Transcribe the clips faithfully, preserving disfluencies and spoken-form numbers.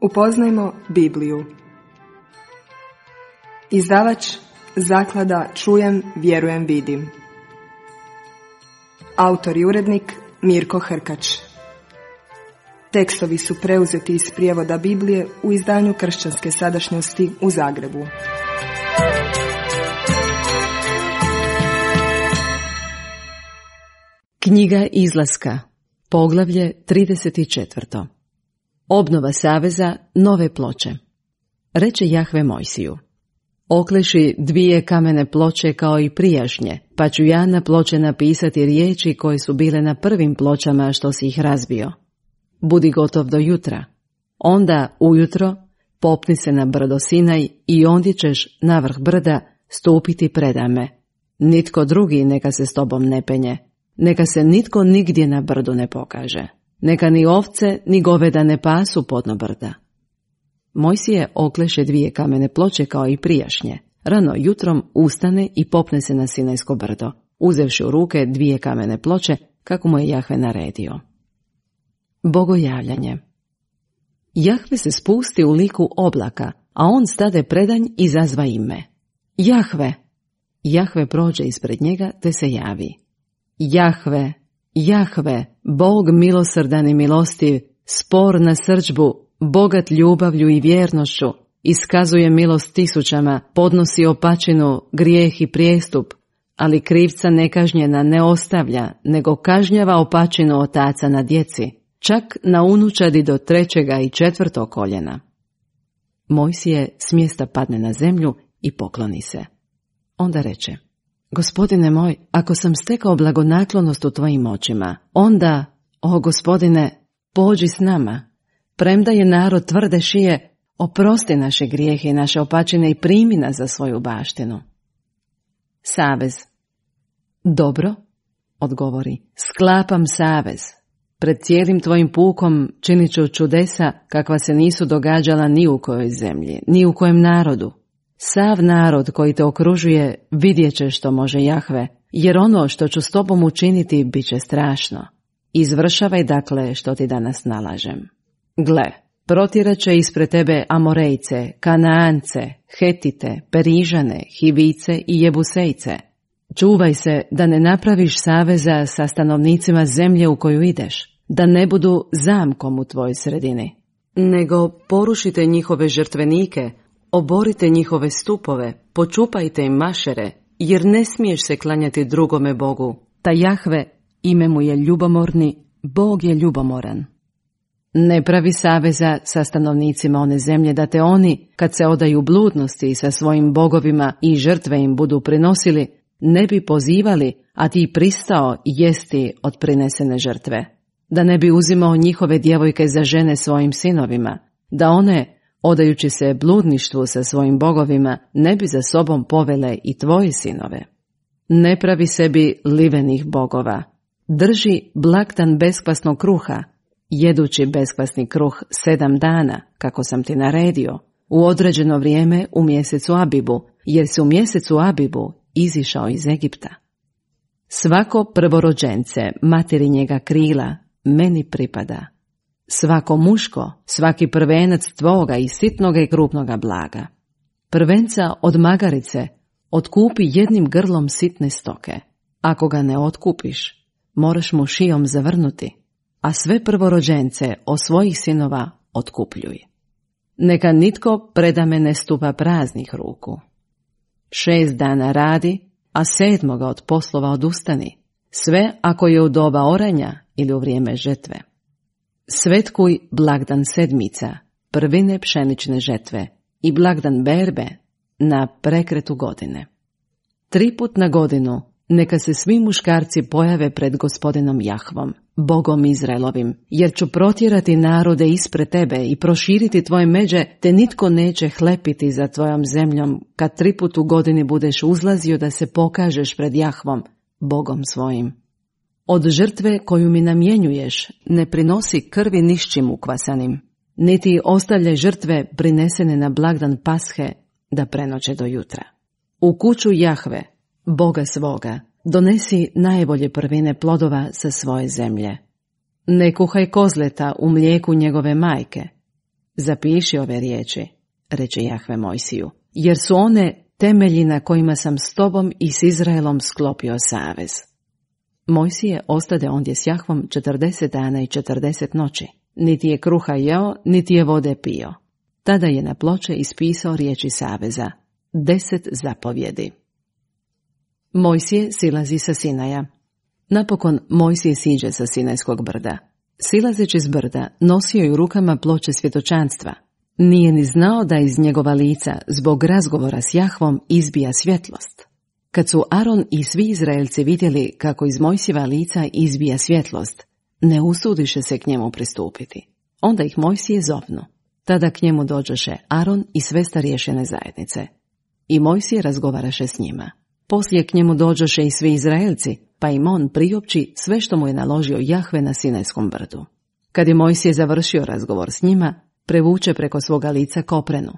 Upoznajmo Bibliju. Izdavač Zaklada Čujem, vjerujem, vidim. Autor i urednik Mirko Hrkač. Tekstovi su preuzeti iz prijevoda Biblije u izdanju Kršćanske sadašnjosti u Zagrebu. Knjiga Izlaska, poglavlje trideset četiri. Obnova saveza, nove ploče. Reče Jahve Mojsiju: okleši dvije kamene ploče kao i prijašnje, pa ću ja na ploče napisati riječi koje su bile na prvim pločama što si ih razbio. Budi gotov do jutra. Onda ujutro popni se na brdo Sinaj i ondje ćeš na vrh brda stupiti predame. Nitko drugi neka se s tobom ne penje. Neka se nitko nigdje na brdu ne pokaže. Neka ni ovce ni goveda ne pasu podno brda. Mojsije okleše dvije kamene ploče kao i prijašnje. Rano jutrom ustane i popne se na Sinajsko brdo, uzevši u ruke dvije kamene ploče kako mu je Jahve naredio. Bogojavljanje. Jahve se spusti u liku oblaka, a on stade predanj i zazva ime. Jahve! Jahve prođe ispred njega te se javi. Jahve, Jahve, Bog milosrdan i milostiv, spor na srdžbu, bogat ljubavlju i vjernošću, iskazuje milost tisućama, podnosi opačinu, grijeh i prijestup, ali krivca nekažnjena ne ostavlja, nego kažnjava opačinu otaca na djeci, čak na unučadi do trećega i četvrtog koljena. Mojsije s mjesta padne na zemlju i pokloni se. Onda reče: Gospodine moj, ako sam stekao blagonaklonost u tvojim očima, onda, o Gospodine, pođi s nama. Premda je narod tvrde šije, oprosti naše grijehe i naše opačine i primi nas za svoju baštinu. Savez. Dobro, odgovori, sklapam savez. Pred cijelim tvojim pukom činit ću čudesa kakva se nisu događala ni u kojoj zemlji, ni u kojem narodu. Sav narod koji te okružuje vidjet će što može Jahve, jer ono što ću s tobom učiniti bit će strašno. Izvršavaj dakle što ti danas nalažem. Gle, protjerat će ispred tebe Amorejce, Kanaance, Hetite, Perižane, Hivice i Jebusejce. Čuvaj se da ne napraviš saveza sa stanovnicima zemlje u koju ideš, da ne budu zamkom u tvojoj sredini, nego porušite njihove žrtvenike, oborite njihove stupove, počupajte im mašere, jer ne smiješ se klanjati drugome Bogu. Ta Jahve, ime mu je ljubomorni, Bog je ljubomoran. Ne pravi saveza sa stanovnicima one zemlje, da te oni, kad se odaju bludnosti sa svojim bogovima i žrtve im budu prinosili, ne bi pozivali, a ti pristao jesti od prinesene žrtve. Da ne bi uzimao njihove djevojke za žene svojim sinovima, da one, odajući se bludništvu sa svojim bogovima, ne bi za sobom povele i tvoje sinove. Ne pravi sebi livenih bogova. Drži blagdan beskvasnog kruha, jedući beskvasni kruh sedam dana, kako sam ti naredio, u određeno vrijeme u mjesecu Abibu, jer si u mjesecu Abibu izišao iz Egipta. Svako prvorođence materinjega krila meni pripada. Svako muško, svaki prvenac tvoga i sitnoga i krupnoga blaga. Prvenca od magarice otkupi jednim grlom sitne stoke. Ako ga ne otkupiš, moraš mu šijom zavrnuti, a sve prvorođence od svojih sinova otkupljuj. Neka nitko predame ne stupa praznih ruku. Šest dana radi, a sedmoga od poslova odustani, sve ako je u doba oranja ili u vrijeme žetve. Svetkuj blagdan sedmica, prvine pšenične žetve i blagdan berbe na prekretu godine. Tri put na godinu neka se svi muškarci pojave pred Gospodinom Jahvom, Bogom Izraelovim, jer ću protjerati narode ispred tebe i proširiti tvoje međe, te nitko neće hlepiti za tvojom zemljom kad tri put u godini budeš uzlazio da se pokažeš pred Jahvom, Bogom svojim. Od žrtve koju mi namjenjuješ ne prinosi krvi nišćim ukvasanim, niti ostavljaj žrtve prinesene na blagdan Pashe da prenoće do jutra. U kuću Jahve, Boga svoga, donesi najbolje prvine plodova sa svoje zemlje. Ne kuhaj kozleta u mlijeku njegove majke. Zapiši ove riječi, reče Jahve Mojsiju, jer su one temelji na kojima sam s tobom i s Izraelom sklopio savez. Mojsije ostade ondje s Jahvom četrdeset dana i četrdeset noći. Niti je kruha jeo, niti je vode pio. Tada je na ploče ispisao riječi saveza, deset zapovjedi. Mojsije silazi sa Sinaja. Napokon Mojsije siđe sa Sinajskog brda. Silazeći s brda, nosio je u rukama ploče svjedočanstva. Nije ni znao da iz njegova lica, zbog razgovora s Jahvom, izbija svjetlost. Kad su Aron i svi Izraelci vidjeli kako iz Mojsijeva lica izbija svjetlost, ne usudiše se k njemu pristupiti. Onda ih Mojsije zovnu. Tada k njemu dođoše Aron i sve starješine zajednice. I Mojsije razgovaraše s njima. Poslije k njemu dođoše i svi Izraelci, pa im on priopći sve što mu je naložio Jahve na Sinajskom brdu. Kad je Mojsije završio razgovor s njima, prevuče preko svoga lica koprenu.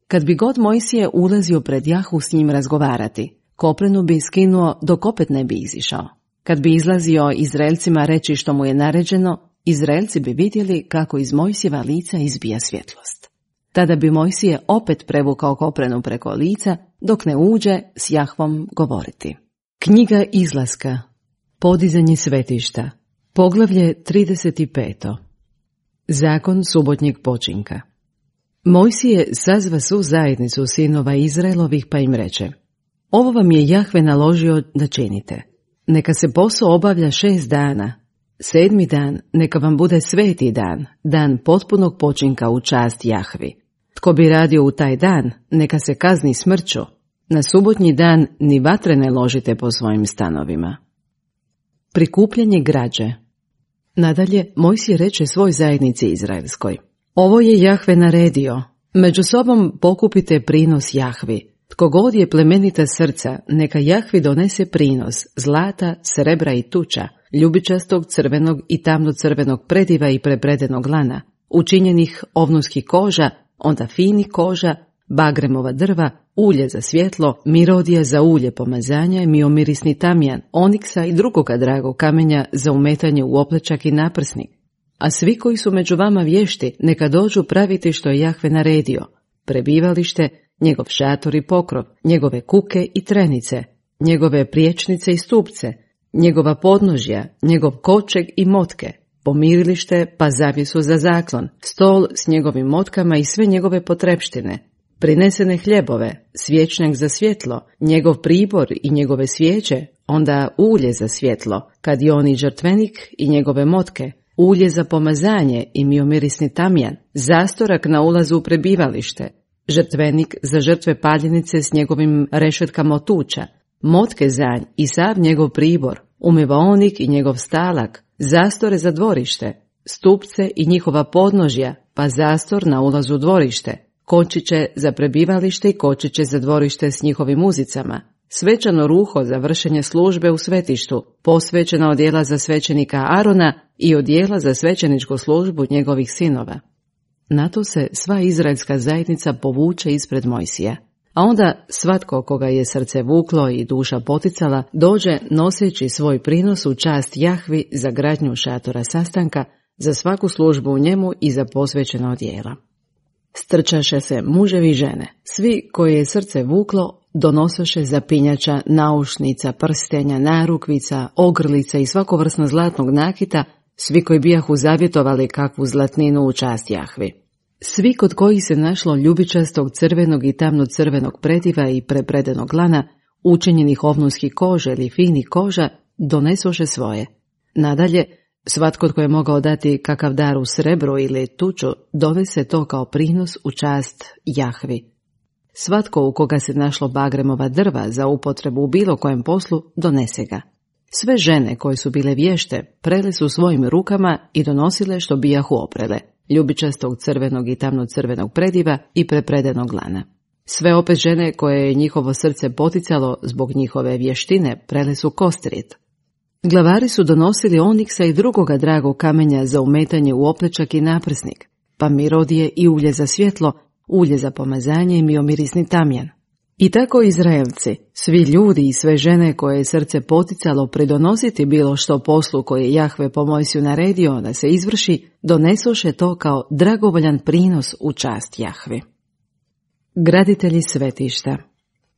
Kad bi god Mojsije ulazio pred Jahvu s njim razgovarati, koprenu bi skinuo dok opet ne bi izišao. Kad bi izlazio Izraelcima reći što mu je naređeno, Izraelci bi vidjeli kako iz Mojsijeva lica izbija svjetlost. Tada bi Mojsije opet prevukao koprenu preko lica, dok ne uđe s Jahvom govoriti. Knjiga Izlaska, podizanje svetišta, poglavlje trideset pet. Zakon subotnjeg počinka. Mojsije sazva svu zajednicu sinova Izraelovih pa im reče: ovo vam je Jahve naložio da činite. Neka se posao obavlja šest dana. Sedmi dan neka vam bude sveti dan, dan potpunog počinka u čast Jahvi. Tko bi radio u taj dan, neka se kazni smrću. Na subotnji dan ni vatre ne ložite po svojim stanovima. Prikupljanje građe. Nadalje, Mojsije reče svoj zajednici izraelskoj: ovo je Jahve naredio, među sobom pokupite prinos Jahvi. Tko god je plemenita srca, neka Jahvi donese prinos zlata, srebra i tuča, ljubičastog, crvenog i tamno-crvenog prediva i prepredenog lana, učinjenih ovnuskih koža, onda fini koža, bagremova drva, ulje za svjetlo, mirodija za ulje pomazanja, miomirisni tamjan, oniksa i drugoga dragog kamenja za umetanje u oplečak i naprsnik. A svi koji su među vama vješti, neka dođu praviti što je Jahve naredio: prebivalište, njegov šator i pokrov, njegove kuke i trenice, njegove priječnice i stupce, njegova podnožja, njegov kočeg i motke, pomirilište pa zavjesu za zaklon, stol s njegovim motkama i sve njegove potrepštine, prinesene hljebove, svječnjak za svjetlo, njegov pribor i njegove svijeće, onda ulje za svjetlo, kadion i žrtvenik i njegove motke, ulje za pomazanje i miomirisni tamjan, zastorak na ulazu u prebivalište, žrtvenik za žrtve paljenice s njegovim rešetkama od tuča, motke za nj i sav njegov pribor, umivaonik i njegov stalak, zastore za dvorište, stupce i njihova podnožja, pa zastor na ulazu u dvorište, kočiće za prebivalište i kočiće za dvorište s njihovim uzicama, svečano ruho za vršenje službe u svetištu, posvećena odjela za svećenika Arona i odjela za svećeničku službu njegovih sinova. Na to se sva izraelska zajednica povuče ispred Mojsija, a onda svatko koga je srce vuklo i duša poticala dođe noseći svoj prinos u čast Jahvi za gradnju šatora sastanka, za svaku službu u njemu i za posvećena odjela. Strčaše se muževi i žene, svi koje je srce vuklo donosoše zapinjača, naušnica, prstenja, narukvica, ogrlica i svakovrsno zlatnog nakita, svi koji bijahu zavjetovali kakvu zlatninu u čast Jahvi. Svi kod kojih se našlo ljubičastog, crvenog i tamno-crvenog prediva i prepredenog lana, učinjenih ovnunskih koža ili fini koža, donesoše svoje. Nadalje, svatko tko je mogao dati kakav dar u srebru ili tuču, dovese to kao prinos u čast Jahvi. Svatko u koga se našlo bagremova drva za upotrebu u bilo kojem poslu, donese ga. Sve žene koje su bile vješte prele su svojim rukama i donosile što bijahu oprele, ljubičastog, crvenog i tamno-crvenog prediva i prepredenog lana. Sve opet žene koje je njihovo srce poticalo zbog njihove vještine prele su kostrijet. Glavari su donosili oniksa i drugoga dragog kamenja za umetanje u oplečak i naprsnik, pa mirodije i ulje za svjetlo, ulje za pomazanje i miomirisni tamjan. I tako Izraelci, svi ljudi i sve žene koje je srce poticalo pridonositi bilo što poslu koje je Jahve po Mojsiju naredio da se izvrši, donesoše to kao dragovoljan prinos u čast Jahve. Graditelji svetišta.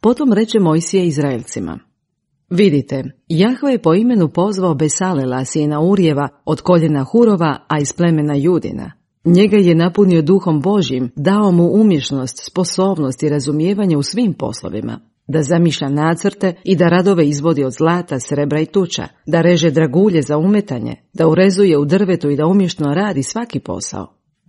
Potom reče Mojsije Izraelcima: Vidite, Jahve je po imenu pozvao Besalela, sina Urijeva, od koljena Hurova, a iz plemena Judina. Njega je napunio duhom Božjim, dao mu umješnost, sposobnost i razumijevanje u svim poslovima, da zamišlja nacrte i da radove izvodi od zlata, srebra i tuča, da reže dragulje za umetanje, da urezuje u drvetu i da umješno radi svaki posao.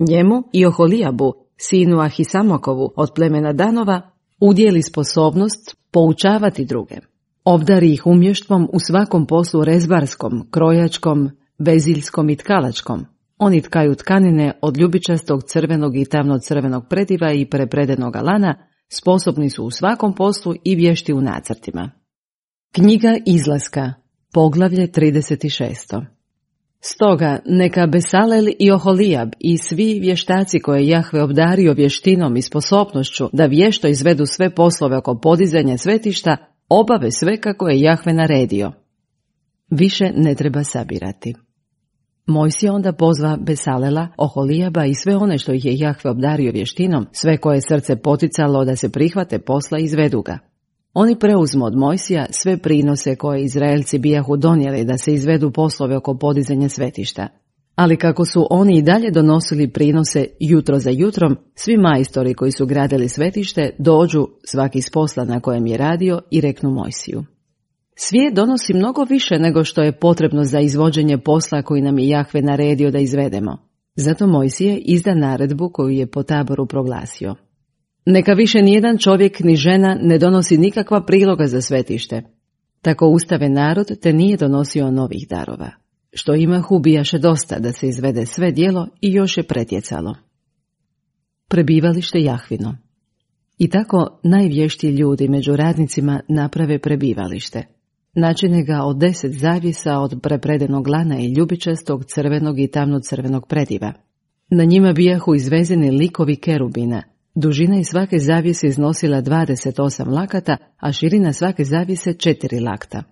Njemu i Oholijabu, sinu Ahisamokovu od plemena Danova, udjeli sposobnost poučavati druge. Obdari ih umještvom u svakom poslu rezbarskom, krojačkom, veziljskom i tkalačkom. Oni tkaju tkanine od ljubičastog, crvenog i tamno-crvenog prediva i prepredenoga lana, sposobni su u svakom poslu i vješti u nacrtima. Knjiga Izlaska, poglavlje trideset šest. Stoga neka Besalel i Oholijab i svi vještaci koje Jahve obdario vještinom i sposobnošću da vješto izvedu sve poslove oko podizanja svetišta, obave sve kako je Jahve naredio. Više ne treba sabirati. Mojsije onda pozva Besalela, Oholijaba i sve one što ih je Jahve obdario vještinom, sve koje srce poticalo da se prihvate posla i izvedu ga. Oni preuzmu od Mojsija sve prinose koje Izraelci bijahu donijeli da se izvedu poslove oko podizanja svetišta. Ali kako su oni i dalje donosili prinose jutro za jutrom, svi majstori koji su gradili svetište dođu svaki s posla na kojem je radio i reknu Mojsiju: Svijet donosi mnogo više nego što je potrebno za izvođenje posla koji nam je Jahve naredio da izvedemo. Zato Mojsije izda naredbu koju je po taboru proglasio: Neka više nijedan čovjek ni žena ne donosi nikakva priloga za svetište. Tako ustave narod te nije donosio novih darova. Što imahu bijaše dosta da se izvede sve djelo i još je pretjecalo. Prebivalište Jahvino. I tako najvještiji ljudi među radnicima naprave prebivalište. Načine ga od deset zavjesa od prepredenog lana i ljubičastog, crvenog i tamno-crvenog prediva. Na njima bijahu izvezeni likovi kerubina. Dužina iz svake zavjese iznosila dvadeset osam lakata, a širina svake zavjese četiri lakta.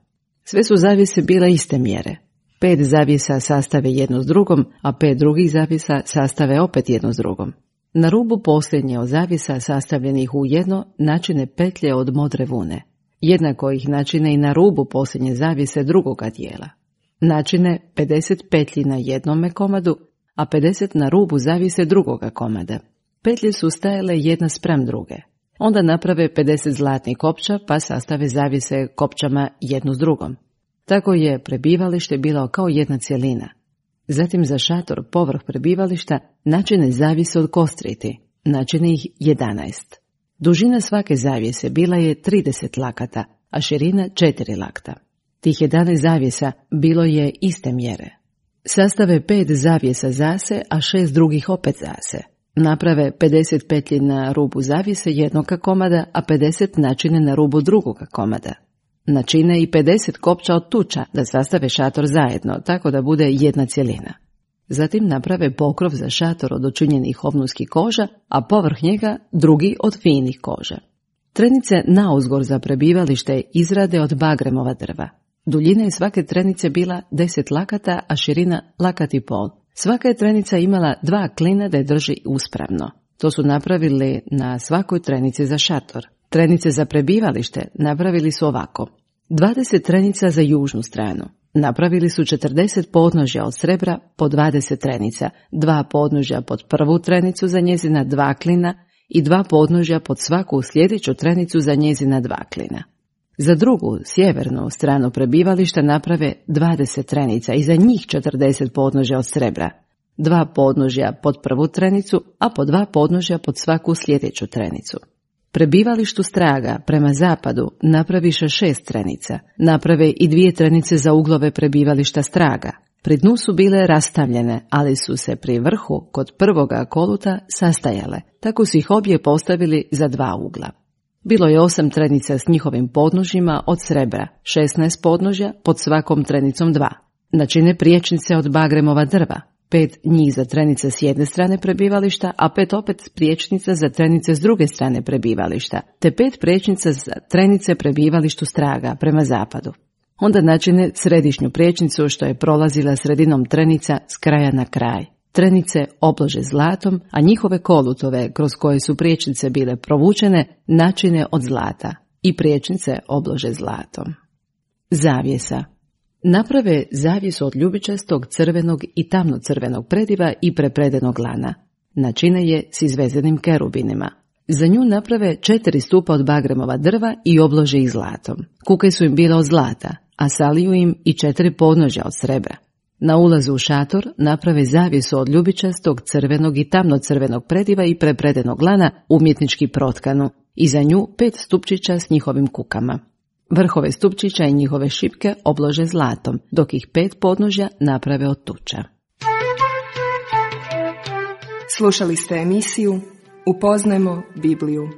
Sve su zavjese bile iste mjere. Pet zavjesa sastave jedno s drugom, a pet drugih zavjesa sastave opet jedno s drugom. Na rubu posljednje od zavjesa sastavljenih u jedno načine petlje od modre vune. Jednako ih načine i na rubu posljednje zavjese drugoga dijela. Načine pedeset petlji na jednome komadu, a pedeset na rubu zavjese drugoga komada. Petlje su stajale jedna sprem druge. Onda naprave pedeset zlatnih kopča, pa sastave zavjese kopčama jednu s drugom. Tako je prebivalište bilo kao jedna cjelina. Zatim za šator povrh prebivališta načine zavjese od kostriti, načine ih jedanaest. Dužina svake zavjese bila je trideset lakata, a širina četiri lakta. Tih jedanaest zavjesa bilo je iste mjere. Sastave pet zavjesa zase, a šest drugih opet zase. Naprave pedeset petlji na rubu zavjese jednoga komada, a pedeset načine na rubu drugoga komada. Načine i pedeset kopča od tuča da sastave šator zajedno, tako da bude jedna cjelina. Zatim naprave pokrov za šator od očinjenih ovnuskih koža, a povrh njega drugi od finih koža. Trenice nauzgor za prebivalište izrade od bagremova drva. Duljina je svake trenice bila deset lakata, a širina lakat i pol. Svaka je trenica imala dva klina da je drži uspravno. To su napravili na svakoj trenici za šator. Trenice za prebivalište napravili su ovako: dvadeset trenica za južnu stranu. Napravili su četrdeset podnožja od srebra po dvadeset trenica, dva podnožja pod prvu trenicu za njezina dva klina i dva podnožja pod svaku sljedeću trenicu za njezina dva klina. Za drugu, sjevernu stranu prebivališta naprave dvadeset trenica i za njih četrdeset podnožja od srebra, dva podnožja pod prvu trenicu, a po dva podnožja pod svaku sljedeću trenicu. Prebivalištu straga prema zapadu napraviše šest trenica, naprave i dvije trenice za uglove prebivališta straga. Pri dnu su bile rastavljene, ali su se pri vrhu kod prvoga koluta sastajale, tako su ih obje postavili za dva ugla. Bilo je osam trenica s njihovim podnožjima od srebra, šesnaest podnožja pod svakom trenicom dva. Načine priječnice od bagremova drva. pet njih za trenice s jedne strane prebivališta, a pet opet priječnica za trenice s druge strane prebivališta, te pet priječnica za trenice prebivalištu straga prema zapadu. Onda načine središnju priječnicu što je prolazila sredinom trenica s kraja na kraj. Trenice oblože zlatom, a njihove kolutove kroz koje su priječnice bile provučene načine od zlata i priječnice oblože zlatom. Zavjesa. Naprave zavjesu od ljubičastog, crvenog i tamno-crvenog prediva i prepredenog lana. Načine je s izvezenim kerubinima. Za nju naprave četiri stupa od bagremova drva i oblože ih zlatom. Kuke su im bile od zlata, a saliju im i četiri podnožja od srebra. Na ulazu u šator naprave zavjesu od ljubičastog, crvenog i tamno-crvenog prediva i prepredenog lana umjetnički protkanu i za nju pet stupčića s njihovim kukama. Vrhove stupčića i njihove šipke oblože zlatom, dok ih pet podnožja naprave od tuča. Slušali ste emisiju Upoznajmo Bibliju.